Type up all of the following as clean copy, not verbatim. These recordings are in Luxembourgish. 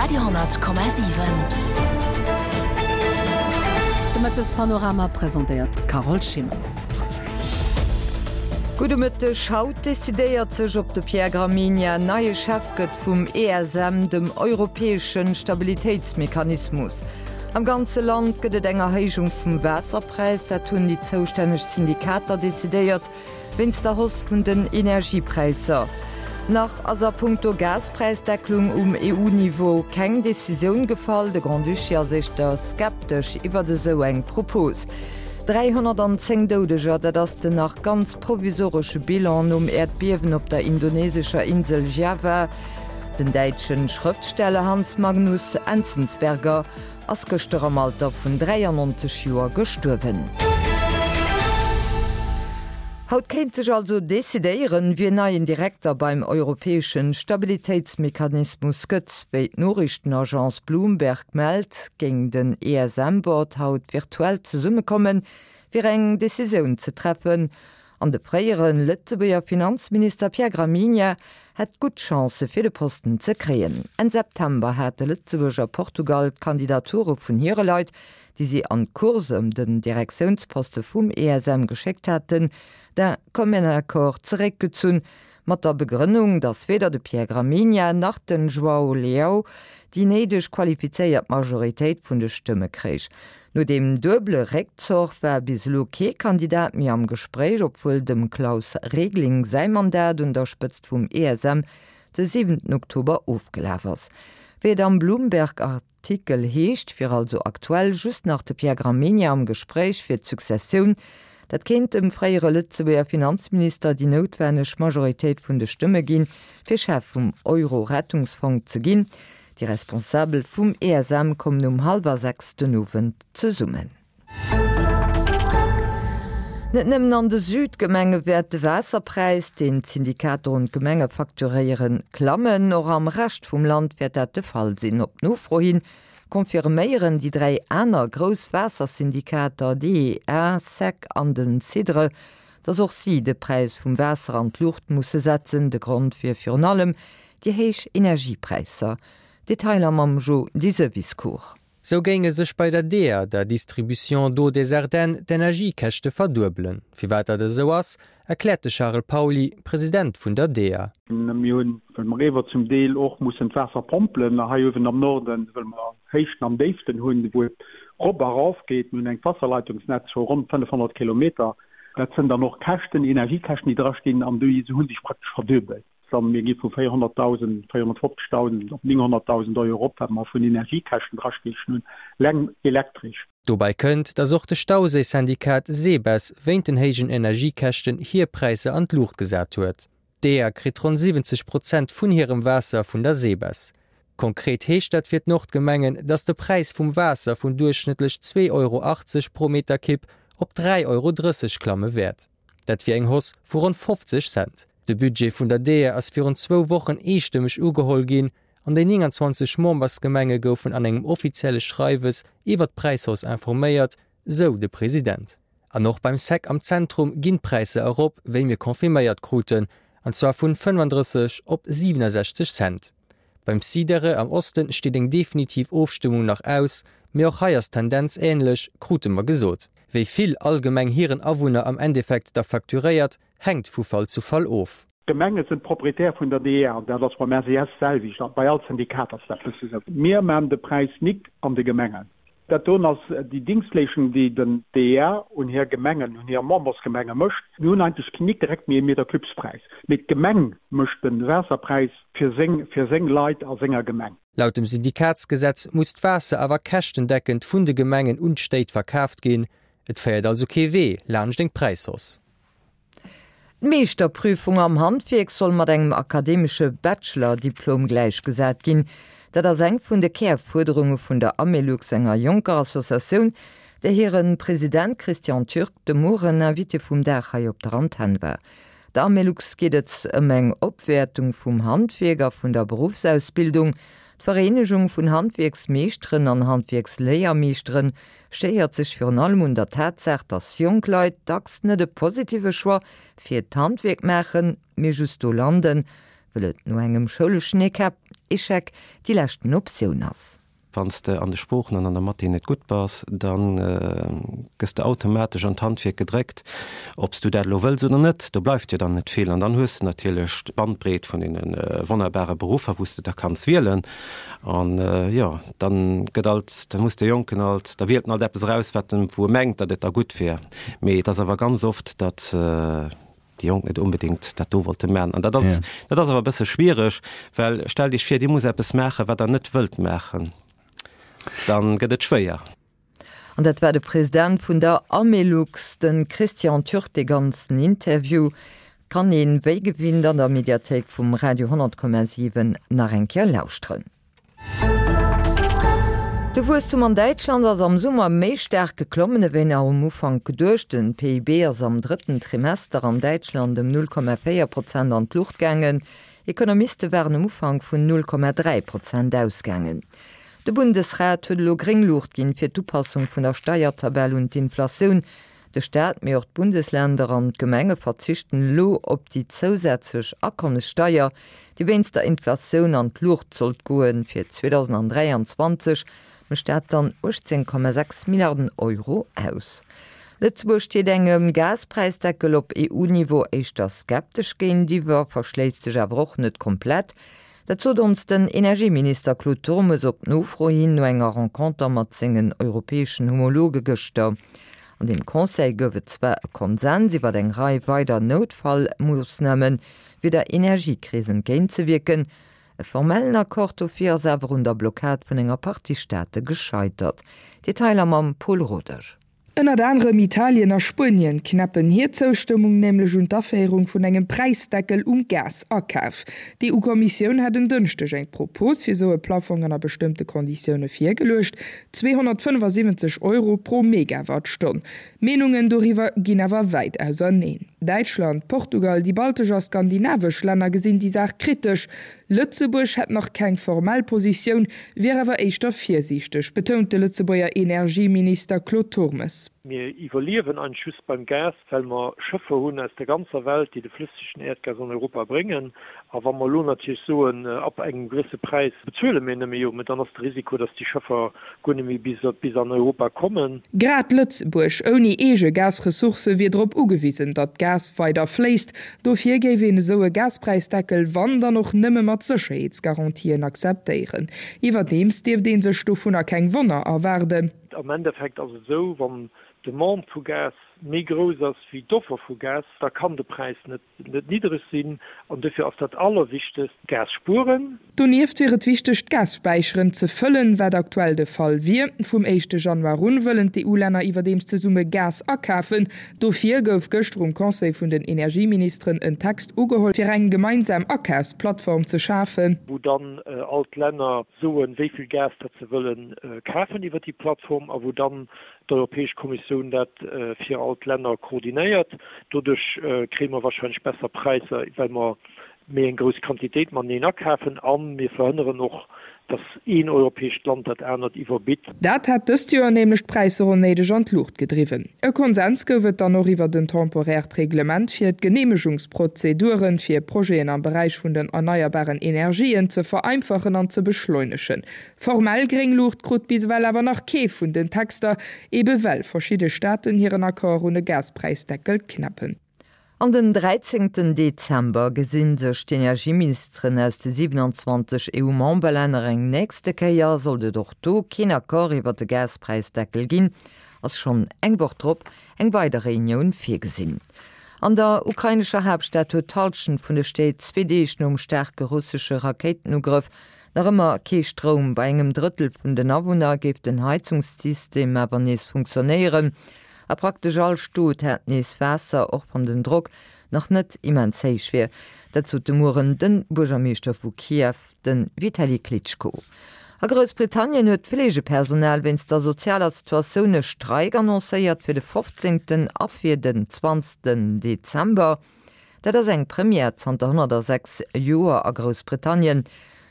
Radio 10,7. De Mëttespanorama presentéiert d'Carole Schimmer. Gudde Mëtteg. Haut decidéiert sech, ob de Pierre Gramegna neie Chef gëtt vum ESM, dem europäesche Stabilitéitsmechanismus. Am ganze Land gëtt et eng Erhéijung vum Waasserpräis. Dat hunn déi zoustänneg Syndikater decidéiert. Wéinst der Hausse vun den Energiepräisser. Nach ass a punkto Gaspräisdecklung um EU-Niveau keng Decisioun gefall. De Grand-Duché ass éischter skeptesch iwwert esou eng Propos. 310 Doudeger, dat ass den nach ganz provisoresche Bilan nom Äerdbiewen op der indonesescher Insel Java. Den däitsche Schrëftsteller Hans Magnus Enzensberger Ass gëschter am Alter vun 93 Joer gestuerwen. Haut kéint sech also decidéieren, wien neien Direkter beim europäesche Stabilitéitsmechanismus gëtt. Wéi d'Noriichtenagence Bloomberg mellt, géing den ESM-Board haut virtuell zesummekommen, fir eng Decisioun ze treffen. An de fréiere Lëtzebuerger Finanzminister Pierre Gramegna hätt gutt Chancë fir de Posten ze kréien. Enn September hate Lëtzebuerg a Portugal d'Kandidature vun hire Leit, déi si an d'Course ëm den Direktiounsposte vum ESM geschéckt haten, d'un commun accord zeréckgezunn, mat der Begrënnung, datt weder de Pierre Gramegna nach den João Leão déi néideg qualifizéiert Majoritéit vun de Stëmme kréich. No deem duebele Réckzoch war bis elo kee Kandidat méi am Gespréich, obwuel dem Klaus Regling säi Mandat un der Spëtzt vum ESM de siwenten Oktober ofgelaf ass. Wéi et am Bloomberg-Artikel heescht, wier also aktuell just nach de Pierre Gramegna am Gespréich fir d'Successioun. Dat kéint dem fréiere Lëtzebuerger Finanzminister déi noutwenneg Majoritéit vun de Stëmme ginn, fir Chef vum Euro-Rettungsfong ze ginn. Déi Responsabel vum ESM kommen um hallwer 6 den Owend zesummen. Net nëmmen an de Südgemenge wäert de Waasserpräis, deen d'Syndikater un d'Gemenge facturéieren, klammen. Och am Rescht vum Land wäert dat de Fall sinn. Op Nofro hin confirméieren déi 3 aner grouss Waassersyndikater, DEA, sec an den Cedre, datt och si de Präis vum Waasser an d'Luucht musse setzen. De Grond wier virun allem Déi héich Energiepräisser. Detailer mam Jo Diseviscourt. Sou géinge sech bei der DEA, der Distribution d'eau des Ardennes, d'Energiekäschte verduebelen. Firwat dat esou ass, erkläert de Charel Pauly, President vun der DEA. Mir hunn, well mer ewer zum Deel och mussen d'Waasser pompelen hei uewen am Norden, wëll mer Héichten an Déiften hunn, wou et rop a rauf geet. Mir hunn engt Wasserleitungsnetz vu ronn 500 Kilometer. Dat sënn dann och Käschten, Energiekäschten, déi drastinn, an déi hu sech praktesch verduebelt. Dann, mir gi vu 400.000, 450.000 op 900.000 Euro erop, wat mer vun Energiekäschten drastiechen hunn, leng elektresch. Dobäi kënnt, datt och de Stauséi-Syndikat Sebes wéint den héijen Energiekäschten hir Präisser an d'Luucht gesat huet. D'EA kritt ronn 70 Prozent vun hirem Waasser vun der Sebes. Konkret heescht dat fir d'Nordgemengen, datt de Präis vum Waasser vun duerchschnëttlech 2,80 Euro pro Meterkibb op 3,30 Euro klamme wäert. Dat wier eng Hausse vu ronn 50 Cent. De Budget vun der DEA ass virun zwou Wochen eestëmmeg ugeholl ginn an déi 29 Membersgemenge goufen an engem offizielle Schreiwes iwwer d'Präishausse informéiert, sou de President. An och beim Sec am Zentrum ginn d'Präisser erop, wéi mir confirméiert kruten, an zwar vun 35 op 67 Cent. Beim Sidere am Osten steet eng definitiv Ofstëmmung nach aus, mee och hei ass d'Tendenz änlech, krute mer gesot. Wéi vill all Gemeng hiren Awunner am Endeffekt da facturéiert, hänkt vu Fall zu Fall of. D'Gemenge sinn d'Propriétaire vun der DEA, an dat ass beim SES d'selwecht, a bei all Syndikat ass dat bësse sou. Mir maan de Präis nik an de Gemengen. Dat doen ass déi Dingschtleeschung, déi den DEA un hir Gemengen, un hir Membersgemenge mécht. Mir hunn eigentlech nik direkt méi e Metercubespräis, mee d'Gemeng mécht de Waasserpräis fir seng, fir seng Leit a senger Gemeng. Laut dem Syndikatsgesetz muss d'Waasser awer käschtendeckend vun de Gemengen un d'Stéit verkaaft ginn. Et féiert also kee Wee laanscht eng Präishausse. D'Meeschterprüfung am Handwierk soll mat engem akademesche Bachelor-Diplom gläichgesat ginn. Dat ass eng vun de Kärfuerderunge vun der Amelux, enger jonker Associatioun, där hire President Christian Türk de Mueren Invité vum Dag hei op der Antenn war. Der Amelux geet et ëm eng Opwäertung vum Handwierk a vun der Beruffsausbildung. D'Vereenegung vun Handwierksmeeschteren an Handwierksléiermeeschteren stéiert sech virun allem un der Tatsaach, dass jonk Leit dacks net e positive Choix fir d'Handwierk maachen, mee just do landen, Wëll et no engem schouleschen Echec déi leschten Optioun ass. Wann s de an de Sproochen an an der Mathé net gutt bass, da gëss de automatesch an d'Handwierk gedréckt, ob s du dat elo wëlls oder net. Do bleift jo dann net vill. An dann hues de natierlech d'Bandbreet vun deene wonnerbare Beruffer, wou s de da kanns wielen. An jo, dann gëtt alt, da muss de Jonken alt, da wielt en alt eppes eraus, wat en, wou e mengt, datt et da gutt wier. Mee et ass awer ganz oft, datt déi Jonk net onbedéngt dat do wollte maachen. An dat ass, dat ass awer e bësse schwiereg, well stellt Iech vir, Dir musst eppes maachen, wat Der net wëllt maachen, da gëtt et schwéier. An dat war de President vun der Amelux, de Christian Türk. Dee ganzen Interview kann een, wéi gewinnt, an der Mediathéik vum Radio 10,7 nach eng Kéier lauschteren. De Wuesstum an Däitschland ass am Summer méi staark geklommen ewéi nach um Ufank geduecht. Den PIB ass am drëtten Trimester an Däitschland ëm 0,4 Prozent an d'Luucht gaangen. Ekonomiste waren um Ufank vun 0,3 Prozent ausgaangen. De Bundesrat huet elo gréng Luucht ginn fir d'Upassung vun der Steiertabell un d'Inflatioun. De Staat, mee och d'Bundesländer an d'Gemenge verzichten elo op déi zousätzlech Akommessteier, déi wéinst der Inflatioun an d'Luucht sollt goen. Fir 2023 mécht dat dann 18,6 Milliarden Euro aus. Lëtzebuerg steet engem Gaspräisdeckel op EU-Niveau éischter skeptesch géintiwwer, verschléisst sech awer och net komplett. Dat sot ons den Energieminister Claude Turmes op Nofro hin no enger Renconter mat sengen europäeschen Homologe gëschter. An deem Conseil gouf et zwar e Konsens iwwer eng Rei weider Noutfallmoossname fir der Energiekris entgéintzewierken. E formellen Accord dofir ass awer un der Blockad vun enger Partie Staate gescheitert. Detailer mam Paul Rodesch. Ënnert anerem Italien a Spuenien knäppen hir Zoustëmmung nämlech un d'Aféierung vun engem Präisdeckel um Gasakaf. D'EU-Kommissioun hat en Dënschdeg eng Propos fir esou e Plaffong ënner bestëmmte Konditioune virgeluecht, 275 Euro pro Megawattstonn. D'Meenungen doriwwer ginn awer wäit auserneen. Däitschland, Portugal, déi baltesch a skandinavesch Länner gesinn déi Saach kritesch. Lëtzebuerg hätt nach keng formell Positioun, wier awer éischter virsiichteg, betount de Lëtzebuerger Energieminister Claude Turmes. Mir iwwerliewen eigentlech just beim Gas, well mer Schëffer hunn aus der ganzer Welt, déi de flëssegen Äerdgas an Europa bréngen. A wa mer elo natierlech soen, ab engem gewësse Präis bezuele mir nëmme, jo, mä dann ass de Risiko, datt déi Schëffer guer net méi bis an Europa kommen. Grad Lëtzebuerg, ouni eege Gasressourcë, wier drop ugewisen, datt Gas weider fléisst. Dofir géif een esou e Gaspräisdeckel, wann dann och nëmme mat Sécherheetsgarantien akzeptéieren. Iwwerdeems dierft ee sech dovunner keng Wonner erwaarden. Am Endeffekt ass et esou, wann d'Demande vu Gas méi grouss ass wéi d'Offer vu Gas, da kann de Präis net niddereg sinn. An dofir ass dat Allerwichtegst, Gas spueren. Donieft wier et wichteg, d'Gasspäicheren ze fëllen, wat aktuell de Fall wier. Vum éischte Januar un wëllen d'EU-Länner iwwerdeems zesumme Gas akafen. Dofir gouf gëschter um Conseil vun den Energieministeren en Text ugeholl, fir eng gemeinsam Akafsplattform ze schafen. Wou dann all d'Länner soen, wéi vill Gas datt se wëlle kafen iwwer déi Plattform a wou dann d'Europäesch Kommissioun dat fir all d'Länner koordinéiert. Doduerch kréie mer warscheinlech besser Präisser, well mer méi eng grouss Quantitéit mateneen akafen a mir verhënneren och, dass een europäescht Land dat anert iwwerbitt. Dat hat dëst Joer nämlech d'Präisser onnéideg an d'Luucht gedriwwen. E Konsens gouf et dann och iwwert en temporäert Reglement, fir d'Geneemegungsprozeduren fir Projeten am Beräich vun den erneierbaren Energien ze vereinfachen an ze beschleunegen. Formell gréng Luucht krut bis ewell awer nach kee vun den Texter, ebe well verschidde Staaten hiren Accord un e Gaspräisdeckel knäppen. An den 13 Dezember gesi sech d'Energieministeren aus de 27 EU-Memberlänner eng nächste Kéier. Sollt et och do keen Accord iwwer de Gaspräisdeckel ginn, ass schonn eng Woch drop eng weider Reunioun virgesinn. An der ukrainescher Haaptstad huet d'Hallschent vun de Stéit zwee Deeg nom staarke russesche Rakéitenugrëff nach ëmmer kee Stroum. Bei engem Drëttel vun den Awunner géif den Heizungssystem awer nees funktionéieren. A praktesch all Stot hätt nees Waasser, och wann den Drock nach net immens héich wier. Dat sot de Mueren de Buergermeeschter vu Kiew, de Vitali Klitschko. A Groussbritannien huet d'Fleegepersonal wéinst der sozialer Situatioun e Streik annoncéiert fir de 15. a fir den 20. Dezember. Dat ass eng Première zanter 106 Joer a Groussbritannien.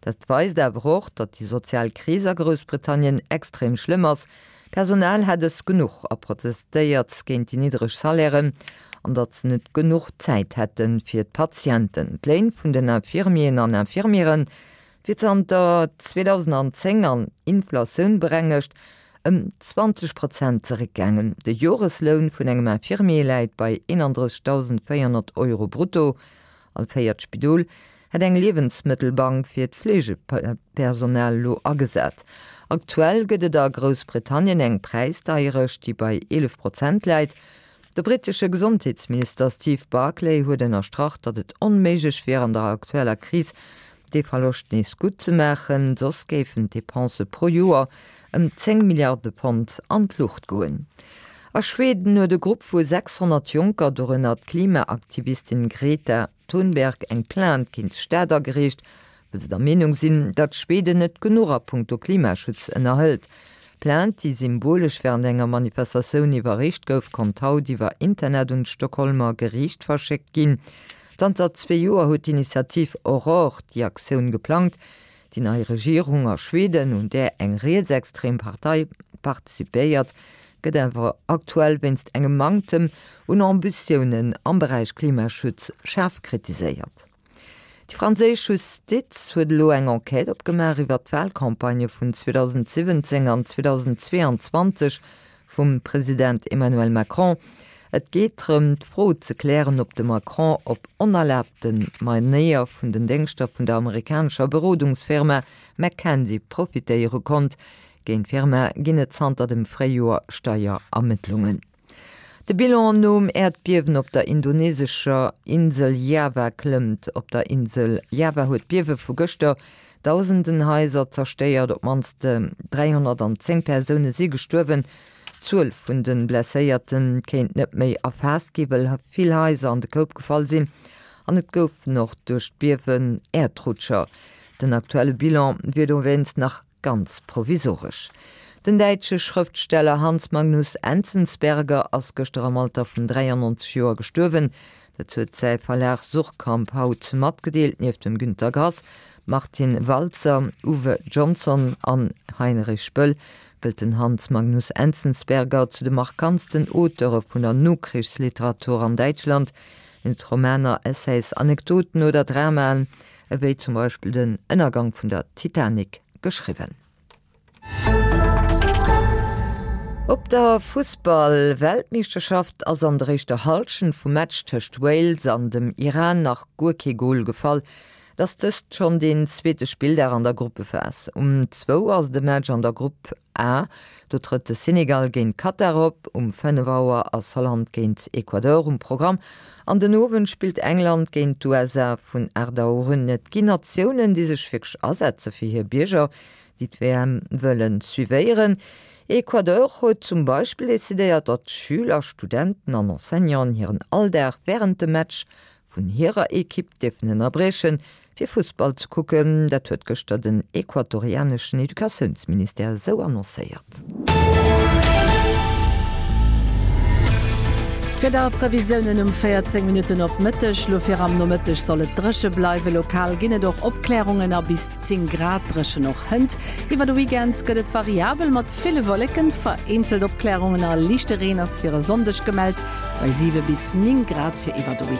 Dat weist awer och, datt déi sozial Kris a Groussbritannien extrem schlëmm ass. D'Personal hätt es genuch a protestéiert géint déi niddreg Salairen an datt se net genuch Zäit hätte fir d'Patienten. D'Léin vun den Infirmieren an Infirmiere wier zanter 2010 an Inflatioun berengegt ëm 20 Prozent zeréckgaangen. De Joresloun vun engem Infirmier läit bei 31.400 Euro brutto. All véiert Spidol hätt eng Liewensmëttelbank fir d'Fleegepersonal elo agesat. Aktuell gëtt et a Groussbritannien eng Präisdeierecht, déi bei 11 Prozent läit. De brittesche Gesondheetsminister Steve Barclay huet ënnerstrach, datt et onméiglech wier an der aktueller Kris dee Verloscht nees gutt ze maachen, soss géifen d'Depensë pro Joer ëm 10 Milliarde Pond an d'Luucht goen. A Schweden huet e Grupp vu 600 Jonker, dorënner d'Klimaaktivistin Greta Thunberg, eng Plainte géint d'Stad agereecht, well se der Meenung sinn, datt Schweden net genuch a punkto Klimaschutz ënnerhëlt. D'Plainte, déi symbolesch wärend enger Manifestatioun iwwerreecht gouf, konnt haut iwwer Internet un d'Stockholmer Geriicht verschéckt ginn. Zanter zwee Joer huet d'Initiativ Aurore déi Aktioun geplangt. Déi nei Regierung a Schweden, un där eng rietsextrem Partei participéiert, gëtt awer aktuell wéinst engem Manktem un Ambitiounen am Beräich Klimaschutz schaarf kritiséiert. Déi franséisch Justiz huet elo eng Enquête opgemaach iwwer d'Walcampagnë vun 2017 an 2022 vum President Emmanuel Macron. Et geet drëm, d'Fro ze klären, ob de Macron op onerlaabte Manéier vun den Déngschter vun der amerikanescher Berodungsfirma McKenzie profitéiere konnt. Géint d'Firma ginn et zanter dem Fréijoer Steierermëttlungen. De Bilan nom Äerdbiewen op der indonesescher Insel Java klëmmt. Op der Insel Java huet d'Biewe vu gëschter dausenden Haiser zerstéiert. Op d'mannst 310 Persoune si gestuerwen. D'Zuel vun de Blesséierte kéint net méi erfaasst ginn, well vill Haiser an de Koup gefall sinn an et goufen och duerch d'Biewen Äerdrutscher. Den aktuelle Bilan wier dowéinst nach Ganz provisoresch. Den däitsche Schrëftsteller Hans Magnus Enzensberger ass gëschter am Alter vun 93 Joer gestuerwen. Dat huet säi Verlag Suhrkamp haut matgedeelt. Nieft dem Günter Grass, Martin Walser, Uwe Johnson an Heinrich Böll gëllt den Hans Magnus Enzensberger zu de markantsten Auteure vun der Nokrichsliteratur an Däitschland. Hien huet Romaner, Essays, Anekdoten oder Dramaen ewéi zum Beispill den Ënnergang vun der Titanic, geschriwwen. Op der Fussball-Weltmeeschterschaft ass an der éischter Hallschent vum Match tëscht Wales an dem Iran nach guer kee Gol gefall. Et ass dëst schonn deen zweete Spilldag an der Gruppephas. Um zwou ass et e Match an der Grupp A, do trëtt de Senegal géint Katar op. Um 5 Auer ass Holland géint Ecuador um Programm an den Owend spillt England géint d'USA vun 8 Auer un. Et ginn Natiounen, déi sech wierklech asetze fir hir Bierger, déi d'WM wëlle suivéieren. Ecuador huet zum Beispill decidéiert, datt Schüler, Studenten an Enseignanten hiren Alldag wärend dem Match vun hirer Ekipp dierfen ënnerbriechen, fir Fussball ze kucken. Dat huet gëschter den equatorianeschen Educatiounsministère esou annoncéiert. D'Wiederprevisiounen um 14 Minutten op Mëtteg, Lo fir am Nomëtteg soll et dréche bleiwen, lokal ginn et och Opklärungen a bis 10 Grad dréchen och hënt. Iwwer de Weekend gëtt et variabel mat ville Wolleken, vereenzelt Opklärungen a liichte Reen ass fir e Sonndeg gemellt, bei 7 bis 9 Grad fir iwwer de Weekend.